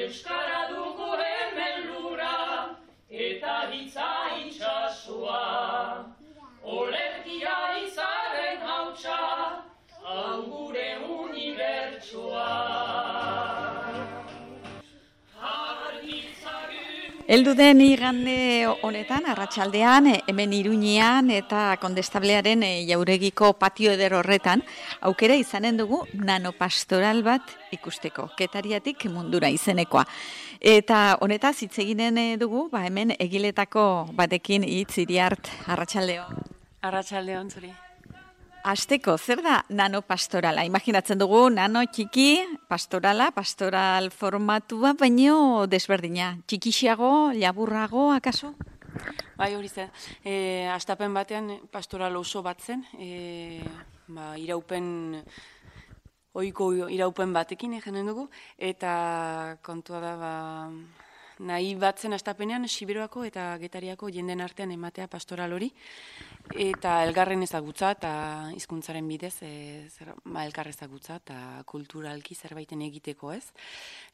Euskara dugu hemen lura, eta hitza itxasua. Olerkia izaren hautsa, hau gure unibertsua. Heldu den igande honetan, arratsaldean, hemen Iruñean eta Kondestablearen jauregiko patio eder horretan, aukera izanen dugu nanopastoral bat ikusteko, Getariatik mundura izenekoa. Eta honetaz hitz eginen dugu, hemen egiletako batekin hitz Iriart, arratsaldeon. Arratsaldeon zuri. Hasteko, zer da nanopastorala? Imaginatzen dugu nano txiki, pastoral formatua, baino desberdina. Txikixiago, laburrago, akaso? Bai, hori zen. Hastapen batean pastoral oso bat zen, ohiko iraupen batekin egenen dugu, eta kontua da, nahi batzen hastapenean Siberoako eta Getariako jenden artean ematea pastoral hori, eta elgarren ezagutza eta hizkuntzaren bidez elkar ezagutza eta kulturalki zerbaiten egiteko, ez?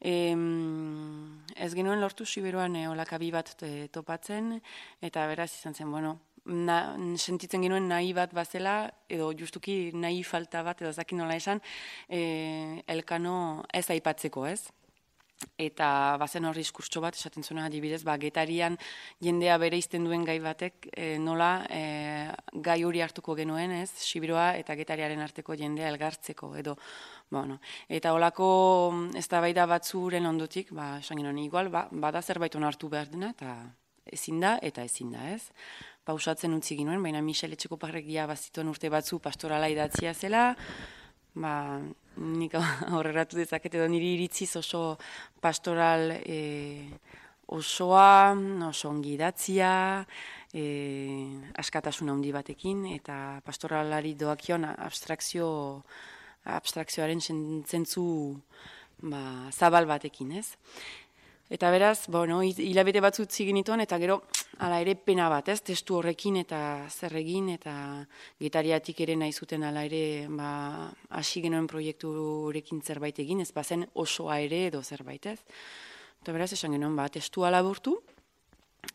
Ez genuen lortu Siberoan olakabi bat topatzen, eta beraz izan zen, sentitzen genuen nahi bat bazela, edo justuki nahi falta bat, edo zakin nola esan, elkano ez aipatzeko, ez? Eta bazen horri diskurtso bat, esaten zuena adibidez, Getarian jendea bere izten duen gai batek nola gai hori hartuko genuen, ez? Sibiroa eta Getariaren arteko jendea elgartzeko, edo, eta holako eztabaida batzuren ondotik, esan genuen, igual, bada zerbait onartu behar dena, eta ezin da, ez? Pausatzen utzi ginoen, baina Michel Etxekoparregia bazituen urte batzu pastorala idatzia zela, nik aurreratu dezaket edo niri iritziz oso pastoral osoa, oso ongi idatzia, askatasun handi batekin, eta pastoralari doakion abstrakzioaren zentzu zabal batekin, ez? Eta beraz, hilabete batzu utzi genituen, eta gero, ala ere pena bat, ez? Testu horrekin eta zer egin, eta Getariatik ere nahi zuten ala ere hasi genuen proiektu horrekin zerbait egin, ez bazen osoa ere edo zerbait, ez? Eta beraz, esan genuen, testua laburtu,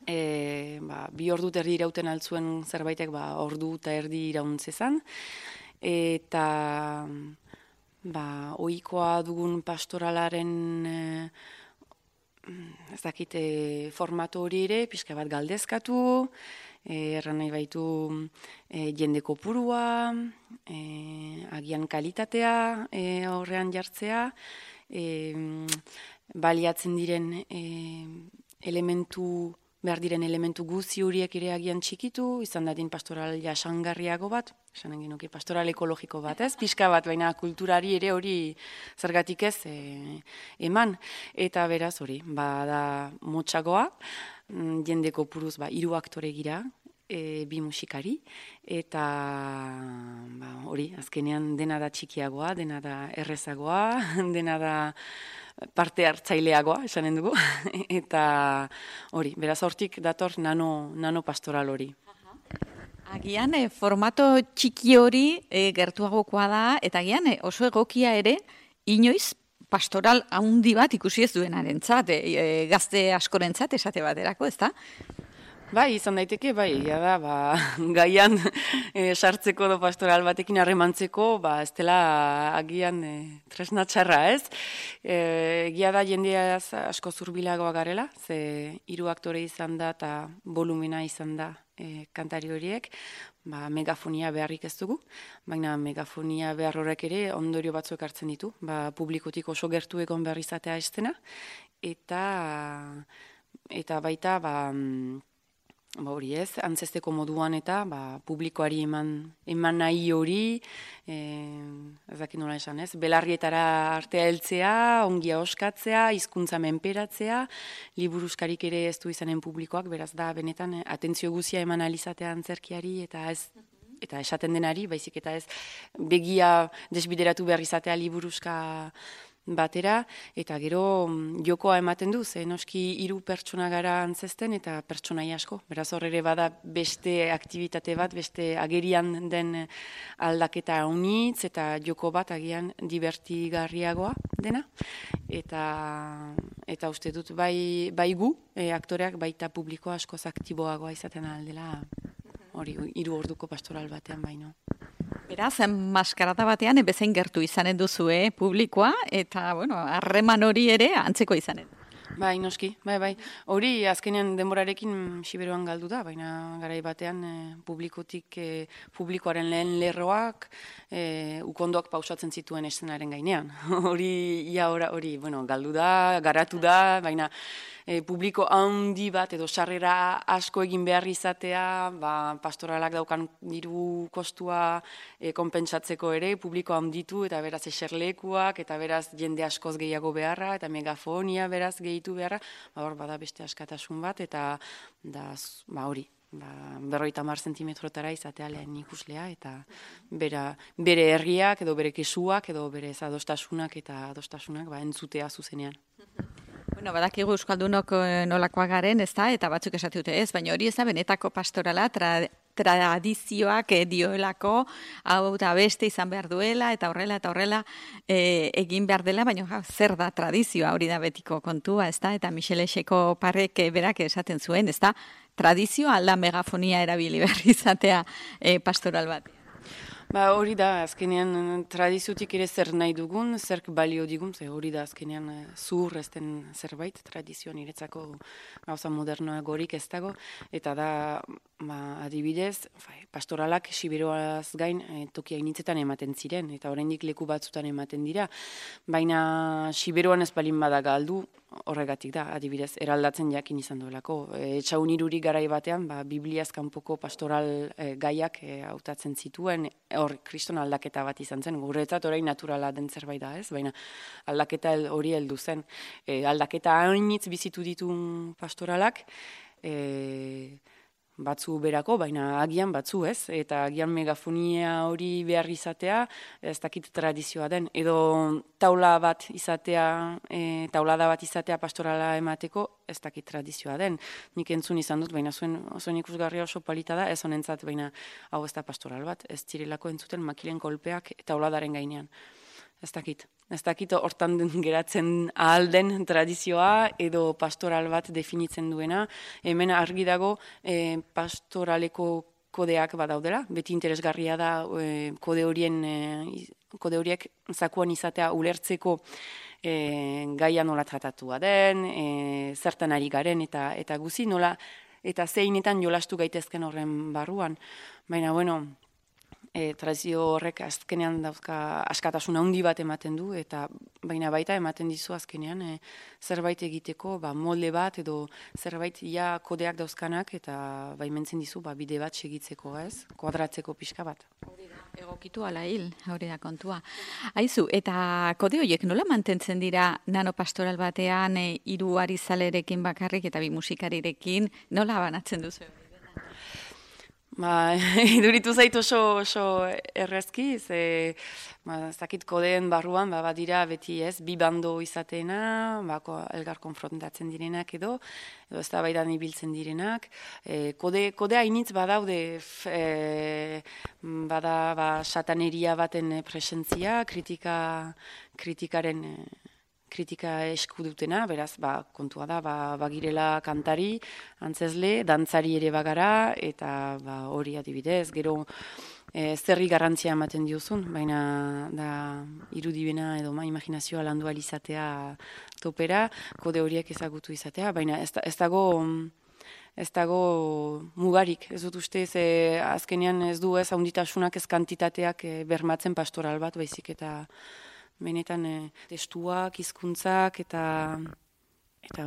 2 ordu eta erdi irauten altzuen zerbaitek ordu eta erdi irauntzezan, eta ohikoa dugun pastoralaren ez dakit formatu hori ere, pixka bat galdezkatu, erran nahi baitu jende kopurua, agian kalitatea horrean jartzea, baliatzen diren behar diren elementu guzi horiek ere agian txikitu, izan dadin pastoral jasangarriago bat, esan genuke pastoral ekologiko bat, ez? Pixka bat, baina kulturari ere hori zergatik ez eman. Eta beraz hori, da motxagoa, jende kopuruz 3 aktore gira, 2 musikari, eta hori, azkenean dena da txikiagoa, dena da errezagoa, dena da parte hartzaileagoa, esanen dugu, eta hori, beraz hortik dator nano pastoral hori. Agian, formato txiki hori gertuagokoa da, eta agian oso egokia ere, inoiz pastoral handi bat ikusi ez duenarentzat, gazte askorentzat esate baterako, ez da? Bai, izan daiteke, gaian sartzeko edo pastoral batekin harremantzeko, ez dela agian tresna txarra, ez? Egia da jendea asko zurbilagoa garela, ze 3 aktore izan da eta volumena izan da kantari horiek, megafonia beharrik ez dugu, baina megafonia behar horrek ere ondorio batzuk hartzen ditu, publikotik oso gertu egon behar izatea estena, eta baita, hori ez, antzesteko moduan eta publikoari eman nahi hori, ez dakit nola esan ez, belarrietara artea heltzea, ongia oskatzea, hizkuntza menperatzea, liburuskarik ere ez du izanen publikoak, beraz da benetan atentzio guzia eman alizatea antzerkiari eta esaten denari, baizik eta ez begia desbideratu behar izatea liburuska batera, eta gero jokoa ematen du, ze noski 3 pertsona gara antzesten eta pertsonai asko. Beraz hor ere bada beste aktivitate bat, beste agerian den aldaketa unitz eta joko bat agian divertigarriagoa dena. eta uste dut bai gu, aktoreak baita publiko askoz aktiboagoa izaten aldela, hori 3 orduko pastoral batean baino. Beraz, maskarata batean bezain gertu izanen duzue publikoa, eta, bueno, harreman hori ere antzeko izanen. Bai, noski, bai. Hori azkenean denborarekin Siberuan galdu da, baina garai batean publikoaren lehen lerroak ukondoak pausatzen zituen eszenaren gainean. Hori galdu da, garatu da, baina publiko handi bat edo sarrera asko egin behar izatea, pastoralak daukan diru kostua konpentsatzeko ere, publiko handitu eta beraz eserlekuak, eta beraz jende askoz gehiago beharra, eta megafonia beraz gehitu beharra, hor bada beste askatasun bat, eta hori, 50 zentimetrotara izatea lehen ikuslea, eta bere herriak edo bere kesuak edo bere adostasunak eta adostasunak entzutea zuzenean. Bueno, badakigu euskaldunok nolakoak garen, ez da, eta batzuk esate dute ez, baina hori ez da benetako pastorala, tradizioak dioelako, hau da beste izan behar duela, eta horrela egin behar dela, baina zer da tradizioa, hori da betiko kontua, ez da, eta Michelexeko parek berak esaten zuen, ez da, tradizioa alda megafonia erabili behar izatea pastoral bat. Hori da, azkenean tradiziotik ere zer nahi dugun, zerk balio digun, hori da azkenean zuhur ezten zerbait, tradizioa niretzako gauza modernoagorik ez dago, eta da, adibidez, pastoralak Siberuaz gain toki hainitzetan ematen ziren, eta oraindik leku batzutan ematen dira, baina Siberuan ez balin bada galdu, horregatik da, adibidez, eraldatzen jakin izan duelako. Etxaun irurik garai batean, Bibliaz kanpoko pastoral gaiak hautatzen zituen, hor kriston aldaketa bat izan zen, guretzat orain naturala den zerbait da, ez? Baina aldaketa hori heldu zen. Aldaketa hainitz bizitu ditu pastoralak, batzu berako, baina agian batzu ez, eta agian megafonia hori behar izatea, ez dakit tradizioa den, edo taulada bat izatea pastorala emateko, ez dakit tradizioa den. Nik entzun izan dut, baina zuen ikusgarria oso polita da, ez honentzat, baina hau ez da pastoral bat, ez direlako entzuten makilen kolpeak tauladaren gainean. Ez dakit hortan geratzen ahal den tradizioa edo pastoral bat definitzen duena. Hemen argi dago pastoraleko kodeak badaudela, beti interesgarria da kode horiek zakuan izatea ulertzeko gaia nola tratatua den, zertan ari garen eta guzi nola, eta zeinetan jolastu gaitezken horren barruan. Baina, tradizio horrek azkenean dauzka askatasun handi bat ematen du, eta baina baita ematen dizu azkenean zerbait egiteko molde bat edo zerbait kodeak dauzkanak, eta baimentzen dizu bide bat segitzeko, ez? Kuadratzeko pixka bat. Egokitu ala hil, hori da kontua. Aizu, eta kode horiek nola mantentzen dira nanopastoral batean 3 arizalerekin bakarrik eta 2 musikarirekin, nola banatzen duzu? Iduritu zait oso errezki, zakit kodeen barruan, badira beti ez, 2 bando izateena, elgar konfrontatzen direnak edo ez da baidan ibiltzen direnak. Kodea hainitz badaude, bada sataneria baten presentzia, kritika esku dutena, beraz, kontua da, bagirela kantari, antzesle, dantzari ere bagara, eta hori adibidez, gero zerri garrantzia ematen diozun, baina da irudibena edo imaginazioa landu alizatea topera, kode horiek ezagutu izatea, baina ez dago mugarik, ez dut uste, azkenean ez du ez haunditasunak ez kantitateak bermatzen pastoral bat, baizik eta benetan testuak, hizkuntzak eta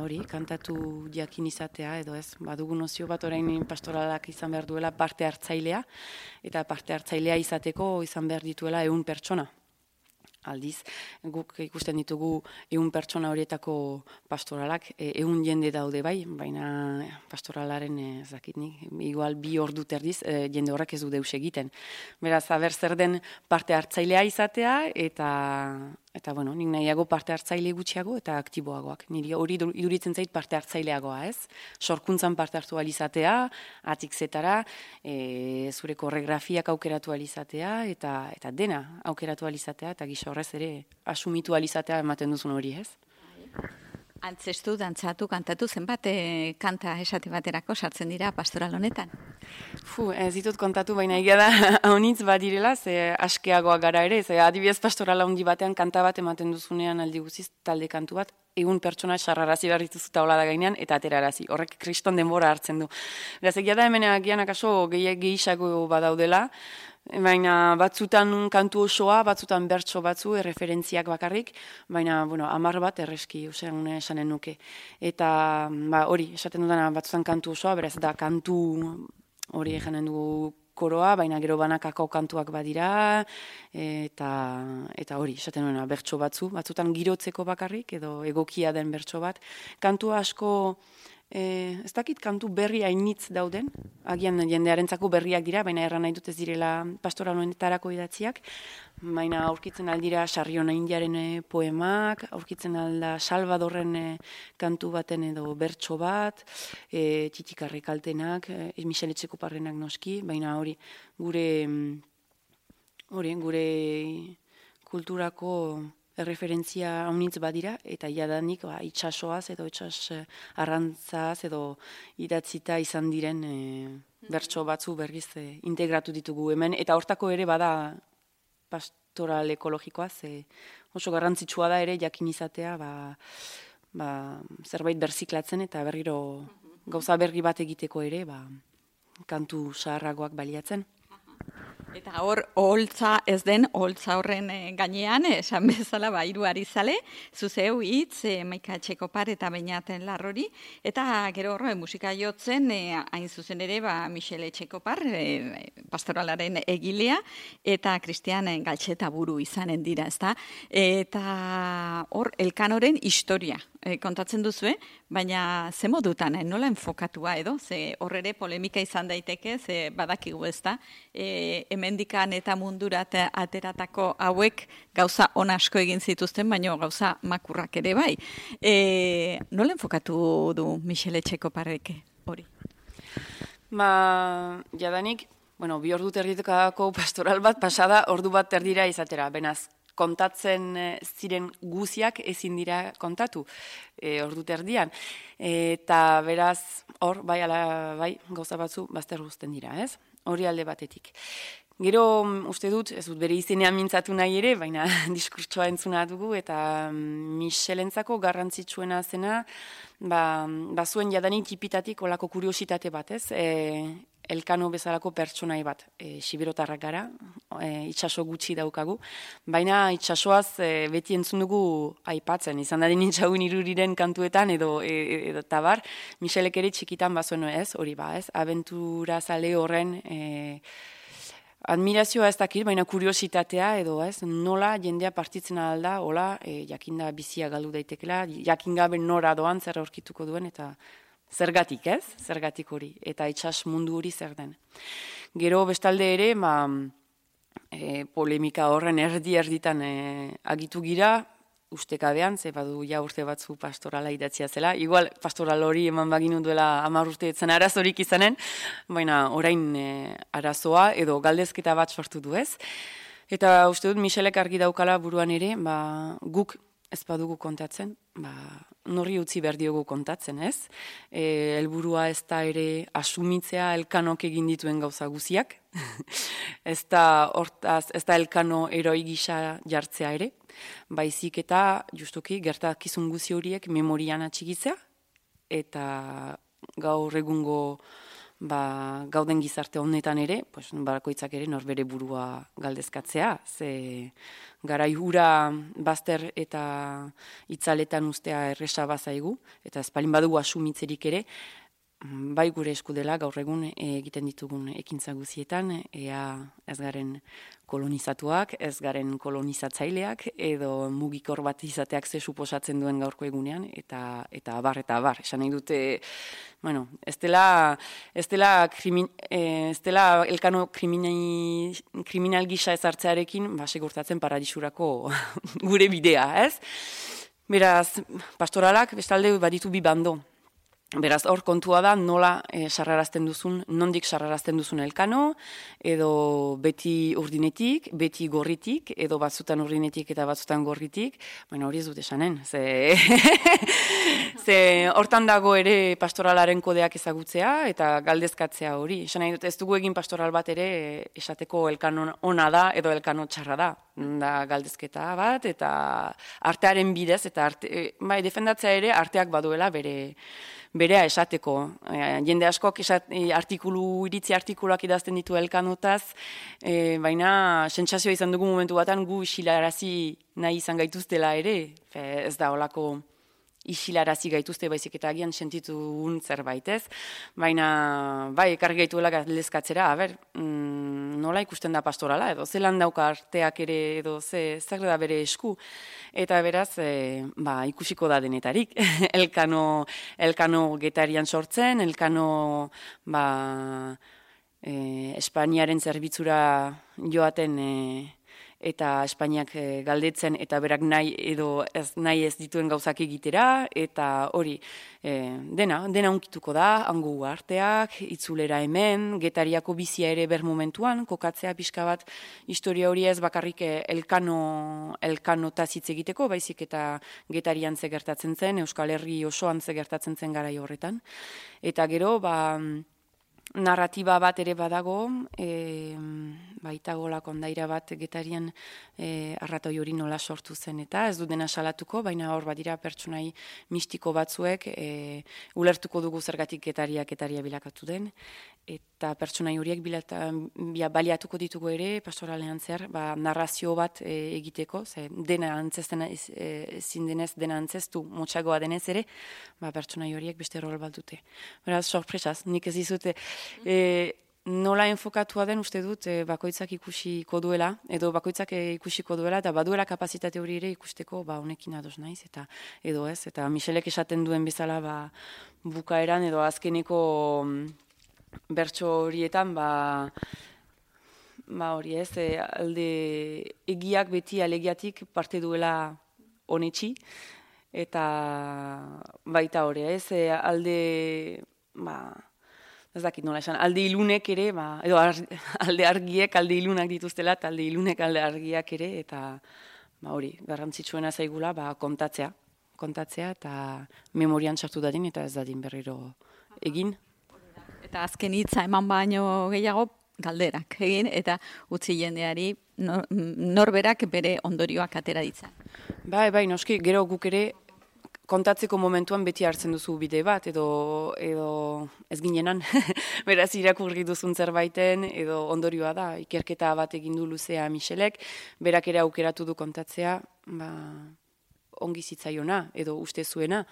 hori, kantatu jakin izatea, edo ez, badugu nozio bat orain pastoralak izan behar duela parte hartzailea, eta parte hartzailea izateko izan behar dituela 100 pertsona. Aldiz, guk ikusten ditugu 100 pertsona horietako pastoralak, 100 jende daude bai, baina pastoralaren, zakitnik, igual 2 ordu terdiz, jende horrek ez du deus egiten. Beraz, aber zer den parte hartzailea izatea, eta nik nahiago parte hartzaile gutxiago eta aktiboagoak. Niri hori iduritzen zait parte hartzaileagoa, ez? Sorkuntzan parte hartu alizatea, atik zetara, zure koreografiak aukeratu alizatea, eta dena aukeratu alizatea, eta gisa horrez ere asumitu alizatea ematen duzun hori, ez? Antzestu, dantzatu, kantatu, zenbat kanta esate baterako sartzen dira pastoral honetan? Ez ditut kontatu, baina egia da haunitz badirela, ze askeagoa gara ere, ze adibidez pastorala handi batean kanta bat ematen duzunean aldi guziz talde kantu bat, egun pertsona sarrarazi behar dituzu taula da gainean, eta aterarazi. Horrek kriston denbora hartzen du. Beraz, egia da hemen agian akaso gehiago badaudela, baina batzutan kantu osoa, batzutan bertso batzu, erreferentziak bakarrik, baina, 10 bat erreski, esanen nuke. Eta, hori, esaten dudana batzutan kantu osoa, beraz, da kantu hori eganen du koroa, baina gero banakako kantuak badira, eta hori, esaten duena, bertso batzutan girotzeko bakarrik, edo egokia den bertso bat. Kantu asko, ez dakit kantu berri hainitz dauden, agian jendearentzako berriak dira, baina erran nahi dut ez direla pastoral honetarako idatziak, baina aurkitzen aldira Sarriona Indiaren poemak, aurkitzen alda Salvadorren kantu baten edo bertso bat, Txitikarre kaltenak, Michele Etxekoparrenak noski, baina hori gure kulturako erreferentzia haunitz badira, eta jadanik itxasoaz edo itxas arrantzaz edo idatzita izan diren bertso batzu berriz integratu ditugu hemen, eta hortako ere bada pastoral ekologikoa, oso garrantzitsua da ere jakin izatea zerbait berziklatzen eta berriro gauza berri bat egiteko ere kantu zaharragoak baliatzen. Eta hor, oholtza ez den, oholtza horren gainean, esan bezala, hiru arizale, zuzeu hitz, Maika Etxekopar eta Beñaten Larrori, eta gero horre musika jotzen, hain zuzen ere, Michele Etxekopar, pastoralaren egilea, eta Cristian Galtxeta buru izanen dira, ezta? Eta hor, Elkanoren historia kontatzen duzue, baina ze modutan, nola enfokatua edo, ze hor ere polemika izan daiteke, ze badakigu ezta, hemendikan eta mundurat ateratako hauek gauza on asko egin zituzten, baina gauza makurrak ere bai. Nola enfokatu du Michele Etxekoparrek hori? Jadanik, 2 ordu terditekako pastoral bat pasada ordu bat terdira izatera, benaz, kontatzen ziren guziak ezin dira kontatu ordu terdian. Eta beraz, hor, bai, gauza batzu bazter guzten dira, ez? Hori alde batetik. Gero, uste dut, ez dut bere izenean mintzatu nahi ere, baina diskurtsoa entzuna dugu, eta Michelentzako garrantzitsuena zena, zuen jadanik tipitatik olako kuriositate bat, ez? Elkano bezalako pertsonai bat, siberotarrak gara, itxaso gutxi daukagu, baina itxasoaz beti entzun dugu aipatzen, izan dadin itxagun iruriren kantuetan edo tabar, Michelek ere txikitan bazuen ez, hori ez, abentura zale horren admirazioa ez dakit, baina kuriositatea edo ez, nola jendea partitzen alda, hola, jakinda bizia galdu daitekela, jakingabe nora doan zer aurkituko duen, eta zergatik, ez? Zergatik hori. Eta itxas mundu hori zer den. Gero bestalde ere, polemika horren erditan agitu gira, ustekabean, ze badu ja urte batzu pastorala idatzia zela. Igual pastoral hori eman baginu duela 10 urte etzen arazorik izanen, baina orain arazoa edo galdezketa bat sortu du, ez? Eta uste dut Michelek argi daukala buruan ere, guk ez badugu kontatzen, norri utzi behar diogu kontatzen, ez? Helburua ez da ere asumitzea Elkanok egin dituen gauza guziak, ez da Elkano heroi gisa jartzea ere, baizik eta justuki gertakizun guzi horiek memorian atxigitzea, eta gaur egungo gauden gizarte honetan ere, barakoitzak ere norbere burua galdezkatzea, ze garai hura bazter eta itzaletan ustea erresa bazaigu, eta espalin badugu asumitzerik ere, bai gure esku dela gaur egun egiten ditugun ekintza guzietan, ea ez garen kolonizatuak, ez garen kolonizatzaileak, edo mugikor bat izateak ze suposatzen duen gaurko egunean, eta abar. Esan nahi dute, ez dela Elkano kriminal gisa ezartzearekin, segurtatzen paradisurako gure bidea, ez? Beraz, pastoralak bestalde baditu bi bando. Beraz, hor kontua da nola sarrarazten duzun, nondik sarrarazten duzun Elkano, edo beti urdinetik, beti gorritik, edo batzutan urdinetik eta batzutan gorritik, baina hori ez dut esanen, ze hortan dago ere pastoralaren kodeak ezagutzea eta galdezkatzea hori. Esan nahi dut, ez dugu egin pastoral bat ere esateko Elkano ona da edo Elkano txarra da galdezketa bat, eta artearen bidez, eta defendatzea ere arteak baduela berea esateko. Jende askok iritzi artikuluak idazten ditu Elkanotaz, baina sentsazioa izan dugu momentu batan gu isilarazi nahi izan gaituztela ere. Ez da holako isilarazi gaituzte baizik eta agian sentitu zerbait, ez? Baina, bai, ekarri gaituela galdezkatzera, nola ikusten da pastorala, edo zelan dauka arteak ere, edo zer da bere esku. Eta beraz, ikusiko da denetarik. Elkano Getarian sortzen, Elkano Espainiaren zerbitzura joaten eta Espainiak galdetzen, eta berak nahi ez dituen gauzak egitera, eta hori, dena unkituko da, hango arteak, itzulera hemen, Getariako bizia ere ber momentuan, kokatzea pixka bat historia hori ez bakarrik Elkanotaz hitz egiteko, baizik eta Getarian ze gertatzen zen, Euskal Herri osoan ze gertatzen zen garai horretan. Eta gero, narratiba bat ere badago, baitagola kondaira bat Getarian arratoi hori nola sortu zen, eta ez du dena salatuko, baina hor badira pertsonai mistiko batzuek, ulertuko dugu zergatik Getaria bilakatu den, eta pertsonai horiek baliatuko ditugu ere pastoralean zer, narrazio bat egiteko, dena antzesten ezin denez, dena antzestu motxagoa denez ere, pertsonai horiek beste rol bat dute. Beraz, sorpresaz, nik ez dizute nola enfokatua den uste dut bakoitzak ikusiko duela, edo bakoitzak ikusiko duela, eta baduela kapazitate hori ere ikusteko honekin ados naiz, edo ez, eta Michelek esaten duen bezala bukaeran, edo azkeneko bertso horietan, hori ez, alde egiak beti alegiatik parte duela honetxi, eta baita hori ez, alde, ez dakit nola esan, alde ilunek ere, edo alde argiek alde ilunak dituztela, eta alde ilunek alde argiak ere, eta hori, garrantzitsuena zaigula, kontatzea, eta memorian sartu dadin, eta ez dadin berriro egin. Eta azken hitza eman baino gehiago, galderak egin, eta utzi jendeari norberak bere ondorioak atera ditzan. Bai, noski, gero guk ere, kontatzeko momentuan beti hartzen duzu bide bat, edo ez ginenan, beraz irakurri duzun zerbaiten, edo ondorioa da, ikerketa bat egin du luzea Michelek, berak ere aukeratu du kontatzea, ongi zitzaiona, edo uste zuena,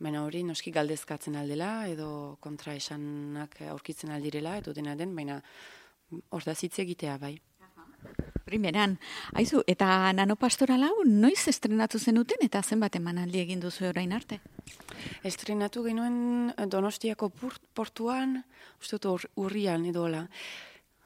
baina hori noski galdezkatzen aldela, edo kontraesanak aurkitzen aldirela, edo dena den, baina hor da zitze egitea bai. Primeran, aizu, eta nanopastoral hau noiz estrenatu zenuten eta zenbat emanaldi egin duzu orain arte? Estrenatu genuen Donostiako portuan, uste dut urrian edola.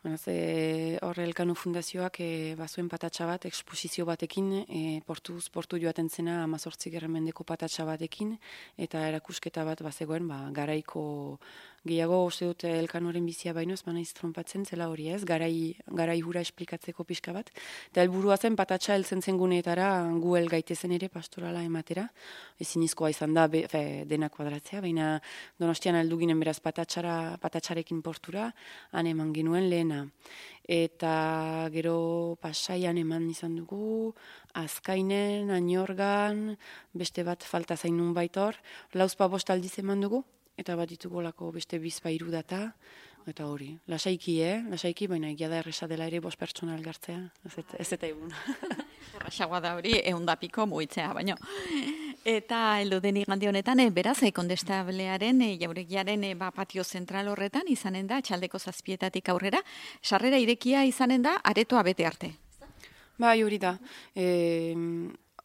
Hor Elkano Fundazioak bazuen patatxa bat, eksposizio batekin, portu joaten zena 18. mendeko patatxa batekin, eta erakusketa bat bazegoen garaiko gehiago uste dut Elkanoren bizia baino ez banaiz trompatzen zela hori ez, garai hura esplikatzeko pixka bat. Eta helburua zen patatxa heltzen zen guneetara gu gaitezen ere pastorala ematera. Ezin izkoa izan da dena kuadratzea, baina Donostian heldu ginen beraz patatxarekin portura, han eman genuen lehena. Eta gero Pasaian eman izan dugu, Azkainen, Añorgan, beste bat falta zainun baitor, 4-5 aldiz eman dugu, eta bat ditugolako beste 2-3 data, eta hori, lasaiki, baina egia da erresa dela ere 5 pertsona elgartzea, ez eta egun. Errasagoa da hori, 100 piko mugitzea, baino. Eta heldu den igande honetan, beraz, Kondestablearen, jauregiaren patio zentral horretan izanen da, txaldeko 7 aurrera, sarrera irekia izanen da, aretoa bete arte. Bai, hori da.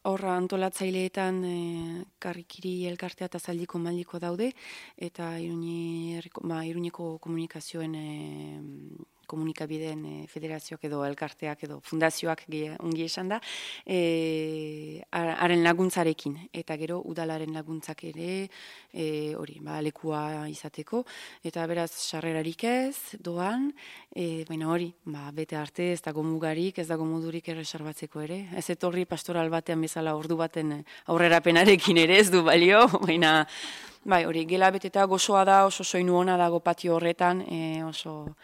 Horra antolatzaileetan karrikiri elkartea eta zaldiko maldiko daude, eta Iruñeko komunikazioen komunikabideen federazioak edo elkarteak edo fundazioak ongi esan da, haren laguntzarekin, eta gero udalaren laguntzak ere, hori, lekua izateko, eta beraz, sarrerarik ez, doan, baina hori, bete arte, ez dago mugarik, ez dago modurik erreserbatzeko ere, ez etorri pastoral batean bezala ordu baten aurrerapenarekin ere ez du balio, baina, bai, hori, gela beteta gozoa da, oso soinu ona dago patio horretan, oso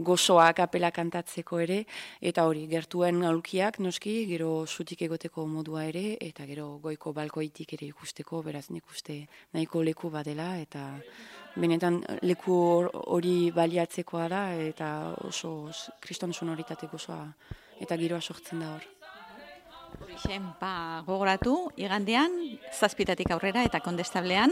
gozoa kapela kantatzeko ere, eta hori, gertuen aulkiak noski, gero zutik egoteko modua ere, eta gero goiko balkoitik ere ikusteko, beraz nik uste nahiko leku badela, eta benetan leku hori baliatzekoa da, eta oso kriston sonoritate gozoa, eta giroa sortzen da hor. Horixen, gogoratu, igandean, 7:00 aurrera eta Kondestablean,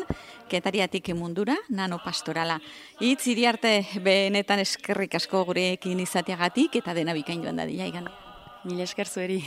Getariatik mundura, nano pastorala. Hitz Iriarte, benetan eskerrik asko gurekin izateagatik eta dena bikain joan dadila igandean. Mila esker zueri.